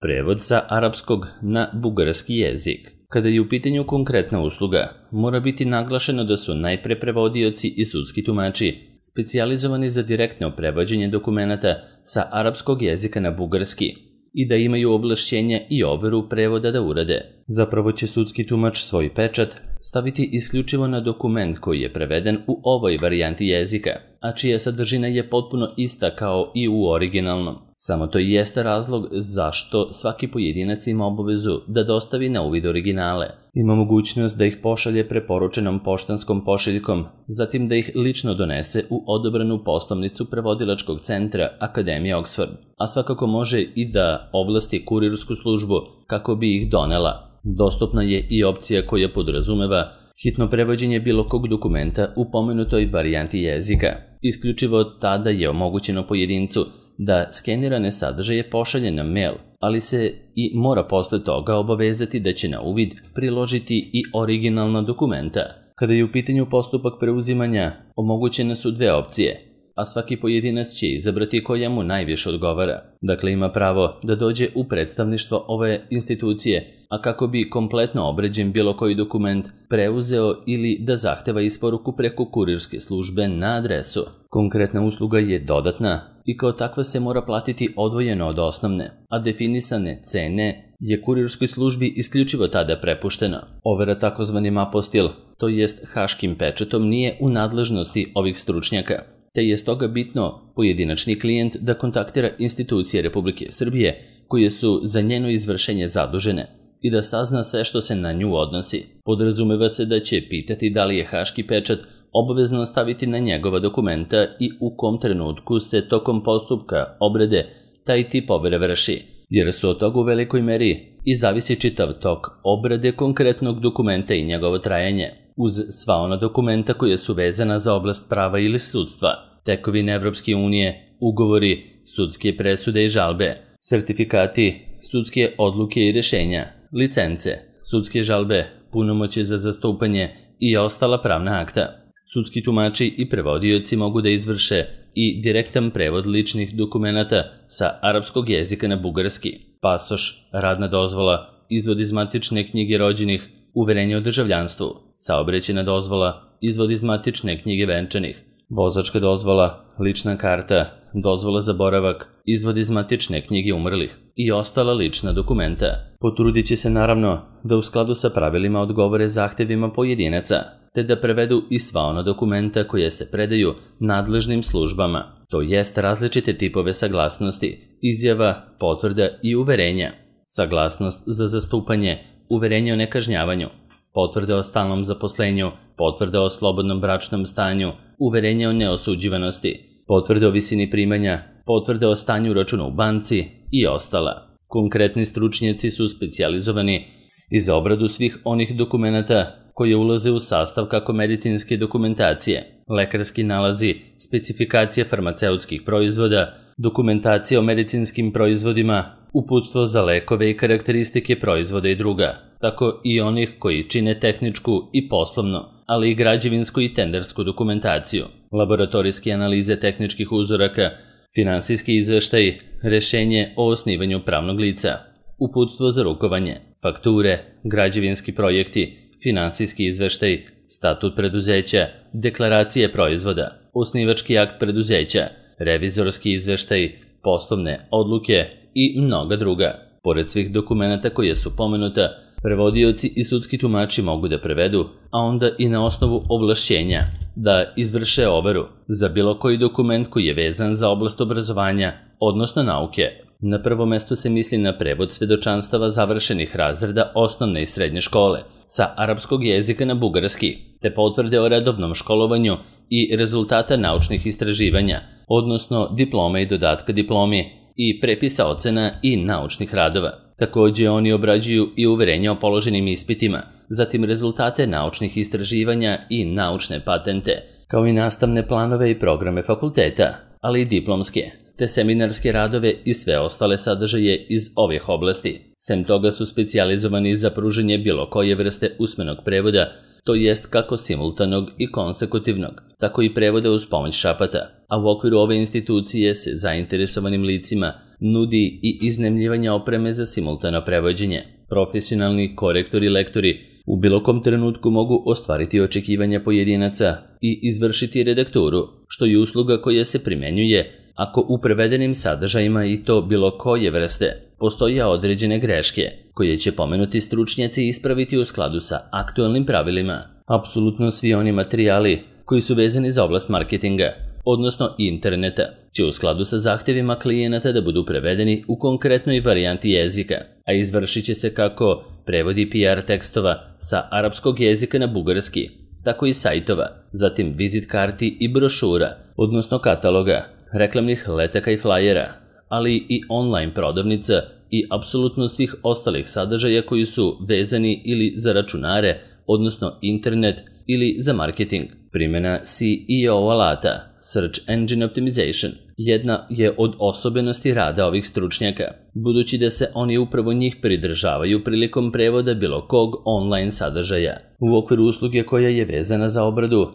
Prevod sa arapskog na bugarski jezik. Kada je u pitanju konkretna usluga, mora biti naglašeno da su najpre prevodioci i sudski tumači specijalizovani za direktno prevođenje dokumenata sa arapskog jezika na bugarski i da imaju ovlašćenja i overu prevoda da urade. Zapravo će sudski tumač svoj pečat staviti isključivo na dokument koji je preveden u ovoj varijanti jezika, a čija sadržina je potpuno ista kao i u originalnom. Samo to i jeste razlog zašto svaki pojedinac ima obavezu da dostavi na uvid originale. Ima mogućnost da ih pošalje preporučenom poštanskom pošiljkom, zatim da ih lično donese u odobranu poslovnicu prevodilačkog centra Akademije Oxford, a svakako može i da ovlasti kurirsku službu kako bi ih donela. Dostupna je i opcija koja podrazumeva hitno prevođenje bilo kog dokumenta u pomenutoj varijanti jezika. Isključivo tada je omogućeno pojedincu da skenirane sadržaje pošalje na mail, ali se i mora posle toga obavezati da će na uvid priložiti i originalna dokumenta. Kada je u pitanju postupak preuzimanja, omogućene su dve opcije, a svaki pojedinac će izabrati koja mu najviše odgovara. Dakle, ima pravo da dođe u predstavništvo ove institucije, a kako bi kompletno obrađen bilo koji dokument preuzeo ili da zahteva isporuku preko kurirske službe na adresu. Konkretna usluga je dodatna i kao takva se mora platiti odvojeno od osnovne, a definisane cene je kurirskoj službi isključivo tada prepušteno. Overa takozvanim apostil, to jest haškim pečatom, nije u nadležnosti ovih stručnjaka, te je stoga bitno pojedinačni klijent da kontaktira institucije Republike Srbije koje su za njeno izvršenje zadužene i da sazna sve što se na nju odnosi. Podrazumeva se da će pitati da li je haški pečat obavezno staviti na njegova dokumenta i u kom trenutku se tokom postupka obrade taj tip overe vrši, jer su od toga u velikoj meri i zavisi čitav tok obrade konkretnog dokumenta i njegovo trajanje, uz sva ona dokumenta koje su vezana za oblast prava ili sudstva, tekovine Evropske unije, ugovori, sudske presude i žalbe, sertifikati, sudske odluke i rešenja, licence, sudske žalbe, punomoćje za zastupanje i ostala pravna akta. Sudski tumači i prevodioci mogu da izvrše i direktan prevod ličnih dokumenata sa arapskog jezika na bugarski, pasoš, radna dozvola, izvod iz matične knjige rođenih, uverenje o državljanstvu, saobraćajna dozvola, izvod iz matične knjige venčanih, vozačka dozvola, lična karta, dozvola za boravak, izvod iz matične knjige umrlih i ostala lična dokumenta. Potrudit će se naravno da u skladu sa pravilima odgovore zahtevima pojedinaca, te da prevedu i sva ona dokumenta koje se predaju nadležnim službama, to jest različite tipove saglasnosti, izjava, potvrda i uverenja, saglasnost za zastupanje, uverenje o nekažnjavanju, potvrda o stalnom zaposlenju, potvrda o slobodnom bračnom stanju, uverenje o neosuđivanosti, potvrda o visini primanja, potvrda o stanju računa u banci i ostala. Konkretni stručnjaci su specijalizovani i za obradu svih onih dokumenata koje ulaze u sastav kako medicinske dokumentacije, lekarski nalazi, specifikacije farmaceutskih proizvoda, dokumentacija o medicinskim proizvodima, uputstvo za lekove i karakteristike proizvoda i druga, tako i onih koji čine tehničku i poslovnu, ali i građevinsku i tendersku dokumentaciju, laboratorijske analize tehničkih uzoraka, finansijski izveštaj, rešenje o osnivanju pravnog lica, uputstvo za rukovanje, fakture, građevinski projekti, finansijski izveštaj, statut preduzeća, deklaracije proizvoda, osnivački akt preduzeća, revizorski izveštaj, poslovne odluke i mnoga druga. Pored svih dokumenata koje su pomenuta, prevodioci i sudski tumači mogu da prevedu, a onda i na osnovu ovlašćenja da izvrše overu za bilo koji dokument koji je vezan za oblast obrazovanja, odnosno nauke. Na prvo mesto se misli na prevod svedočanstava završenih razreda osnovne i srednje škole sa arapskog jezika na bugarski, te potvrde o redovnom školovanju i rezultata naučnih istraživanja, odnosno diplome i dodatka diplomi i prepisa ocena i naučnih radova. Takođe, oni obrađuju i uverenja o položenim ispitima, zatim rezultate naučnih istraživanja i naučne patente, kao i nastavne planove i programe fakulteta, ali i diplomske, te seminarske radove i sve ostale sadržaje iz ovih oblasti. Sem toga su specijalizovani za pružanje bilo koje vrste usmenog prevoda to jest kako simultanog i konsekutivnog, tako i prevoda uz pomoć šapata, a u okviru ove institucije se zainteresovanim licima nudi i iznajmljivanje opreme za simultano prevođenje. Profesionalni korektori i lektori u bilo kom trenutku mogu ostvariti očekivanja pojedinaca i izvršiti redakturu, što je usluga koja se primenjuje ako u prevedenim sadržajima i to bilo koje vrste postoje određene greške, koje će pomenuti stručnjaci ispraviti u skladu sa aktualnim pravilima. Apsolutno svi oni materijali koji su vezani za oblast marketinga, odnosno interneta, će u skladu sa zahtjevima klijenata da budu prevedeni u konkretnoj varijanti jezika, a izvršit će se kako prevodi PR tekstova sa arapskog jezika na bugarski, tako i sajtova, zatim vizit karti i brošura, odnosno kataloga, reklamnih letaka i flajera, ali i online prodavnica i apsolutno svih ostalih sadržaja koji su vezani ili za računare, odnosno internet ili za marketing. Primjena SEO alata, Search Engine Optimization, jedna je od osobenosti rada ovih stručnjaka, budući da se oni upravo njih pridržavaju prilikom prevoda bilo kog online sadržaja. U okviru usluge koja je vezana za obradu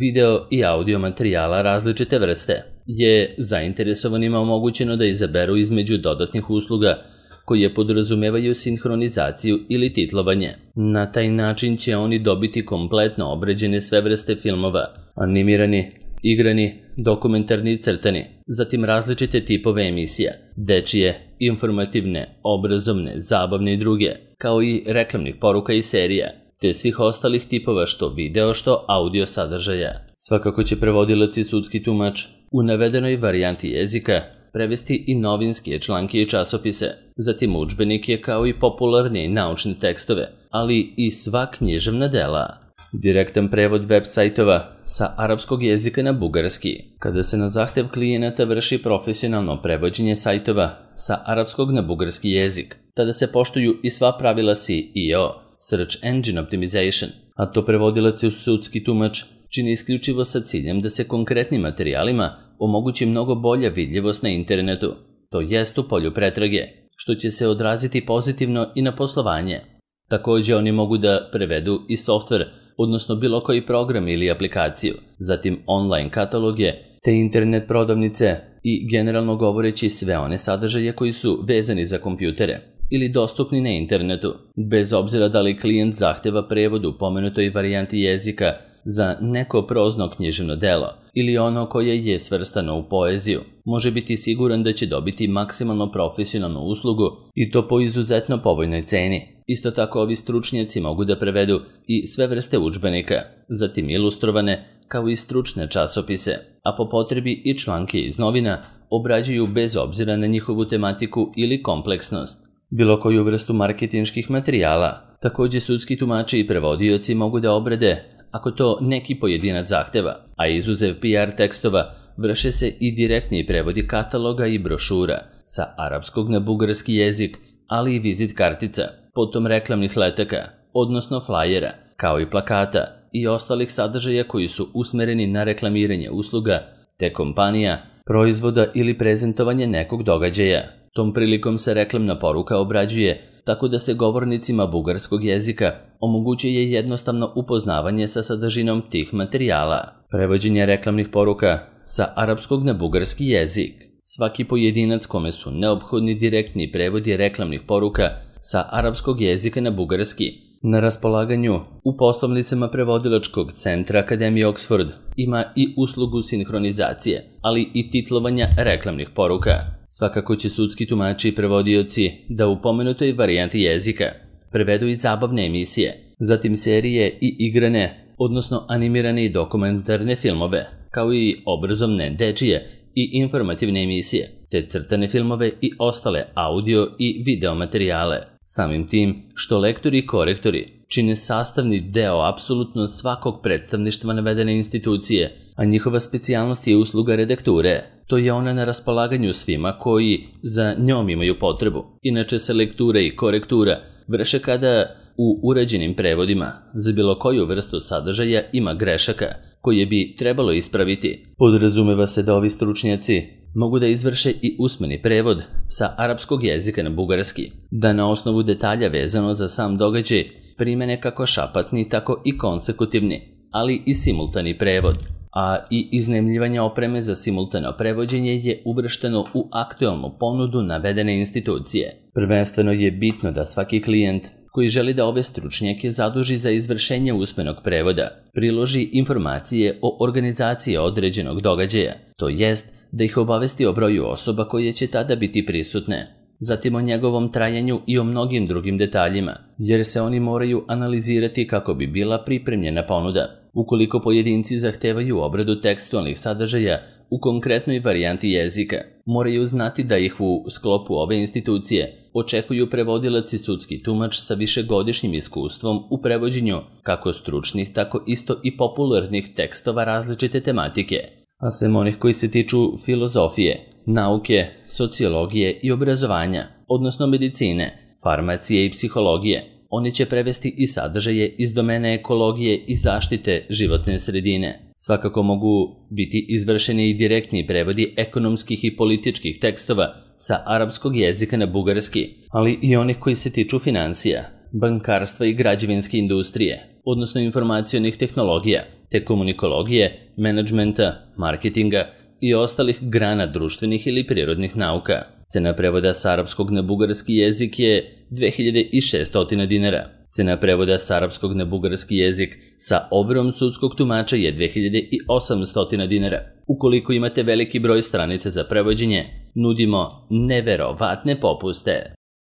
video i audio materijala različite vrste, je zainteresovanima omogućeno da izaberu između dodatnih usluga koje podrazumevaju sinhronizaciju ili titlovanje. Na taj način će oni dobiti kompletno obrađene sve vrste filmova, animirani, igrani, dokumentarni i crtani, zatim različite tipove emisija, dečije, informativne, obrazovne, zabavne i druge, kao i reklamnih poruka i serija, te svih ostalih tipova što video što audio sadržaja. Svakako će prevodilac i sudski tumač u navedenoj varijanti jezika prevesti i novinske članke i časopise, zatim udžbenike kao i popularne naučne tekstove, ali i sva književna dela. Direktan prevod web sajtova sa arapskog jezika na bugarski. Kada se na zahtev klijenata vrši profesionalno prevođenje sajtova sa arapskog na bugarski jezik, tada se poštuju i sva pravila SEO, Search Engine Optimization, a to prevodilac i sudski tumač čini isključivo sa ciljem da se konkretnim materijalima omogući mnogo bolja vidljivost na internetu, to jest u polju pretrage, što će se odraziti pozitivno i na poslovanje. Također oni mogu da prevedu i softver, odnosno bilo koji program ili aplikaciju, zatim online kataloge, te internet prodavnice i generalno govoreći sve one sadržaje koji su vezani za kompjutere ili dostupni na internetu, bez obzira da li klijent zahteva prevod u pomenutoj varijanti jezika za neko prozno književno delo ili ono koje je svrstano u poeziju, može biti siguran da će dobiti maksimalno profesionalnu uslugu i to po izuzetno povoljnoj ceni. Isto tako ovi stručnjaci mogu da prevedu i sve vrste udžbenika, zatim ilustrovane kao i stručne časopise, a po potrebi i članke iz novina obrađuju bez obzira na njihovu tematiku ili kompleksnost. Bilo koju vrstu marketinških materijala, također sudski tumači i prevodioci mogu da obrade ako to neki pojedinac zahteva, a izuzev PR tekstova vrše se i direktni prevodi kataloga i brošura sa arapskog na bugarski jezik, ali i vizit kartica, potom reklamnih letaka, odnosno flajera, kao i plakata i ostalih sadržaja koji su usmereni na reklamiranje usluga, te kompanija, proizvoda ili prezentovanje nekog događaja. Tom prilikom se reklamna poruka obrađuje tako da se govornicima bugarskog jezika omogućuje jednostavno upoznavanje sa sadržinom tih materijala. Prevođenje reklamnih poruka sa arapskog na bugarski jezik. Svaki pojedinac kome su neophodni direktni prevodi reklamnih poruka sa arapskog jezika na bugarski na raspolaganju u poslovnicama prevodilačkog centra Akademije Oxford ima i uslugu sinhronizacije, ali i titlovanja reklamnih poruka. Svakako će sudski tumači i prevodioci da u pomenutoj varijanti jezika prevedu i zabavne emisije, zatim serije i igrane, odnosno animirane i dokumentarne filmove, kao i obrazovne, dečije i informativne emisije, te crtane filmove i ostale audio i video materijale. Samim tim što lektori i korektori čine sastavni deo apsolutno svakog predstavništva navedene institucije, a njihova specijalnost je usluga redakture. To je ona na raspolaganju svima koji za njom imaju potrebu. Inače se lektura i korektura vrše kada u urađenim prevodima za bilo koju vrstu sadržaja ima grešaka koje bi trebalo ispraviti. Podrazumeva se da ovi stručnjaci mogu da izvrše i usmeni prevod sa arapskog jezika na bugarski, da na osnovu detalja vezano za sam događaj primene kako šapatni, tako i konsekutivni, ali i simultani prevod, a i iznajmljivanje opreme za simultano prevođenje je uvršteno u aktualnu ponudu navedene institucije. Prvenstveno je bitno da svaki klijent koji želi da ove stručnjake zaduži za izvršenje usmenog prevoda, priloži informacije o organizaciji određenog događaja, to jest da ih obavesti o broju osoba koje će tada biti prisutne, zatim o njegovom trajanju i o mnogim drugim detaljima, jer se oni moraju analizirati kako bi bila pripremljena ponuda. Ukoliko pojedinci zahtevaju obradu tekstualnih sadržaja u konkretnoj varijanti jezika, moraju znati da ih u sklopu ove institucije očekuju prevodilac i sudski tumač sa višegodišnjim iskustvom u prevođenju kako stručnih, tako isto i popularnih tekstova različite tematike, a sem onih koji se tiču filozofije, nauke, sociologije i obrazovanja, odnosno medicine, farmacije i psihologije. Oni će prevesti i sadržaje iz domene ekologije i zaštite životne sredine. Svakako mogu biti izvršeni i direktni prevodi ekonomskih i političkih tekstova sa arapskog jezika na bugarski, ali i onih koji se tiču financija, bankarstva i građevinske industrije, odnosno informacionih tehnologija, te komunikologije, menadžmenta, marketinga i ostalih grana društvenih ili prirodnih nauka. Cena prevoda sa arapskog na bugarski jezik je 2600 dinara. Cena prevoda sa arapskog na bugarski jezik sa overom sudskog tumača je 2800 dinara. Ukoliko imate veliki broj stranica za prevođenje, nudimo neverovatne popuste.